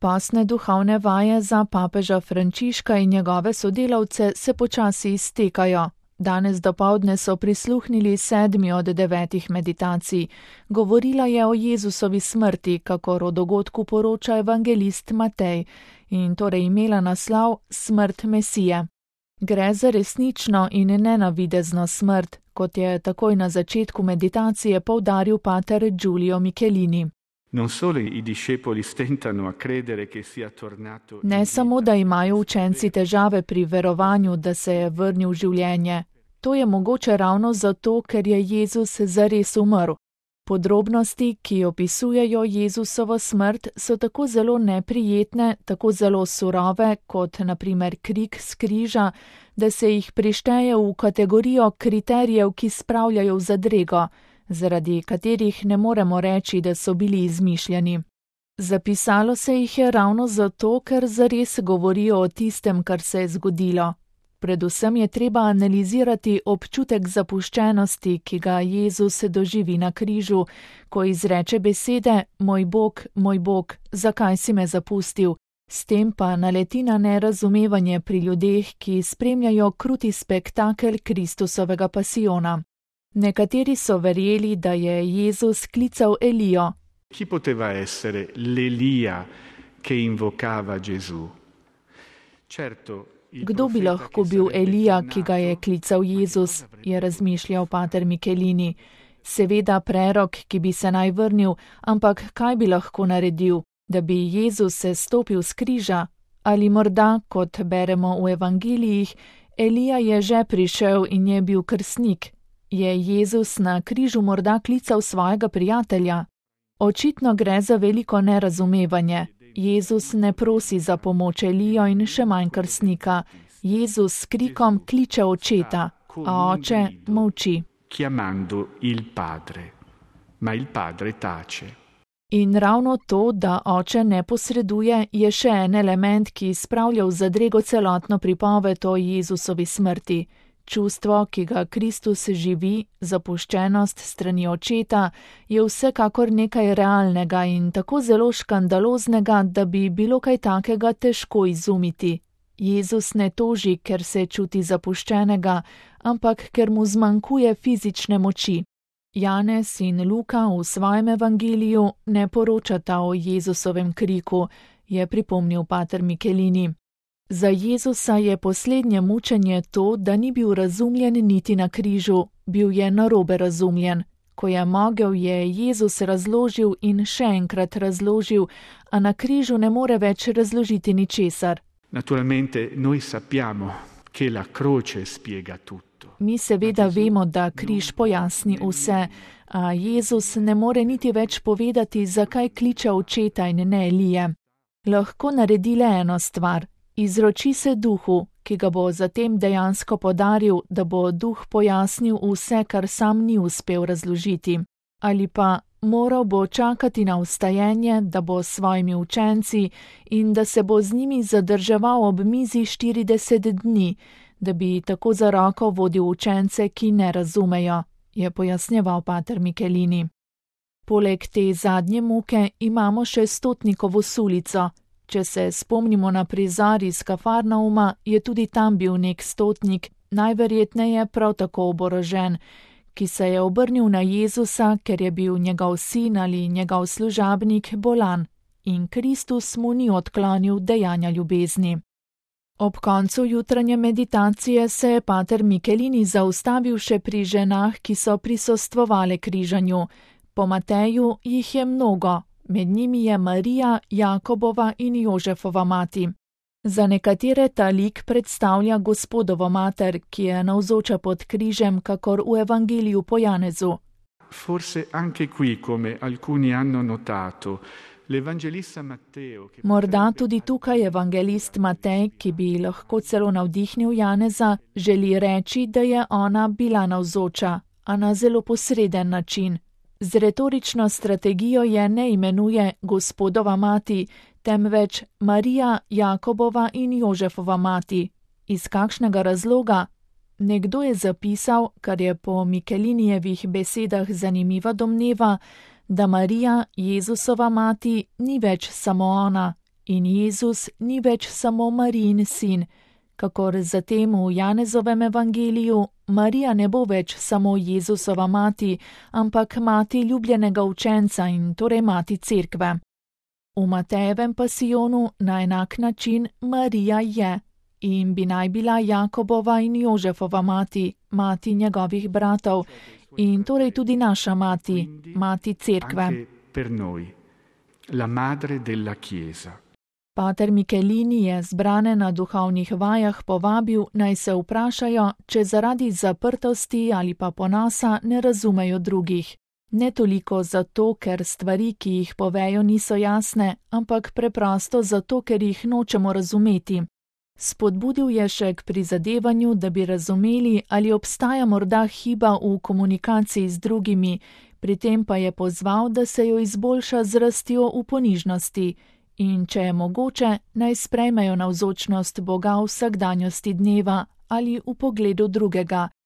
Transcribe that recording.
Postne duhovne vaje za papeža Frančiška in njegove sodelavce se počasi iztekajo. Danes dopoldne so prisluhnili 7. od 9 meditacij. Govorila je o Jezusovi smrti, kakor o dogodku poroča evangelist Matej, in torej imela naslov Smrt Mesije. Gre za resnično in nenavidezno smrt, kot je takoj na začetku meditacije poudaril pater Giulio Michelini. Ne samo, da imajo učenci težave pri verovanju, da se je vrnil v življenje. To je mogoče ravno zato, ker je Jezus zares umrl. Podrobnosti, ki opisujejo Jezusovo smrt, so tako zelo neprijetne, tako zelo surove, kot na primer krik s križa, da se jih prišteje v kategorijo kriterijev, ki spravljajo v zadrego, zaradi katerih ne moremo reči, da so bili izmišljeni. Zapisalo se jih je ravno zato, ker zares govorijo o tistem, kar se je zgodilo. Predvsem je treba analizirati občutek zapuščenosti, ki ga Jezus doživi na križu, ko izreče besede moj Bog, zakaj si me zapustil? S tem pa naleti na nerazumevanje pri ljudeh, ki spremljajo kruti spektakel Kristusovega pasijona. Nekateri so verjeli, da je Jezus klical Elijo. Chi poteva essere l'Elia che invocava Gesù? Certo, Kdo bi lahko bil Elija, ki ga je klical Jezus, je razmišljal pater Michelini. Seveda prerok, ki bi se naj vrnil, ampak kaj bi lahko naredil, da bi Jezus se stopil s križa? Ali morda, kot beremo v evangelijih, Elija je že prišel in je bil krstnik? Je Jezus na križu morda klical svojega prijatelja? Očitno gre za veliko nerazumevanje. Jezus ne prosi za pomoč Elijo in še manj krstnika. Jezus s krikom kliče očeta, a oče molči. In ravno to, da oče ne posreduje, je še en element, ki spravlja v zadrego celotno pripoved o Jezusovi smrti. Čustvo, ki ga Kristus živi, zapuščenost strani očeta, je vsekakor nekaj realnega in tako zelo škandaloznega, da bi bilo kaj takega težko izumiti. Jezus ne toži, ker se čuti zapuščenega, ampak ker mu zmanjkuje fizične moči. Janez in Luka v svojem evangeliju ne poročata o Jezusovem kriku, je pripomnil pater Michelini. Za Jezusa je poslednje mučenje to, da ni bil razumljen niti na križu, bil je narobe razumljen. Ko je mogel, je Jezus razložil in še enkrat razložil, a na križu ne more več razložiti ničesar. Mi seveda vemo, da križ pojasni vse, a Jezus ne more niti več povedati, zakaj kliče očeta in ne Elije. Lahko naredi le eno stvar. Izroči se duhu, ki ga bo zatem dejansko podaril, da bo duh pojasnil vse, kar sam ni uspel razložiti. Ali pa moral bo čakati na vstajenje, da bo s svojimi učenci in da se bo z njimi zadrževal ob mizi 40 dni, da bi tako za roko vodil učence, ki ne razumejo, je pojasnjeval pater Michelini. Poleg te zadnje muke imamo še Stotnikovo sulico. Če se spomnimo na prizor iz Kafarnauma, je tudi tam bil nek stotnik, najverjetneje prav tako oborožen, ki se je obrnil na Jezusa, ker je bil njegov sin ali njegov služabnik bolan, in Kristus mu ni odklonil dejanja ljubezni. Ob koncu jutranje meditacije se je pater Michelini zaustavil še pri ženah, ki so prisostvovale križanju. Po Mateju jih je mnogo. Med njimi je Marija, Jakobova in Jožefova mati. Za nekatere ta lik predstavlja Gospodovo mater, ki je navzoča pod križem, kakor v evangeliju po Janezu. Morda tudi tukaj evangelist Matej, ki bi lahko celo navdihnil Janeza, želi reči, da je ona bila navzoča, a na zelo posreden način. Z retorično strategijo je ne imenuje Gospodova mati, temveč Marija, Jakobova in Jožefova mati. Iz kakšnega razloga? Nekdo je zapisal, kar je po Michelinijevih besedah zanimiva domneva, da Marija, Jezusova mati, ni več samo ona, In Jezus ni več samo Marijin sin. Kakor zatem v Janezovem evangeliju, Marija ne bo več samo Jezusova mati, ampak mati ljubljenega učenca in torej mati cerkve. V Matejevem pasijonu na enak način Marija je in bi naj bila Jakobova in Jožefova mati, mati njegovih bratov in torej tudi naša mati, mati cerkve. Anche per noi, la madre della Chiesa. Pater Michelini je zbrane na duhovnih vajah povabil, naj se vprašajo, če zaradi zaprtosti ali pa ponosa ne razumejo drugih. Ne toliko zato, ker stvari, ki jih povejo, niso jasne, ampak preprosto zato, ker jih nočemo razumeti. Spodbudil je še k prizadevanju, da bi razumeli, ali obstaja morda hiba v komunikaciji z drugimi, pri tem pa je pozval, da se jo izboljša z rastjo v ponižnosti. In če je mogoče, naj sprejmejo navzočnost Boga v vsakdanjosti dneva ali v pogledu drugega,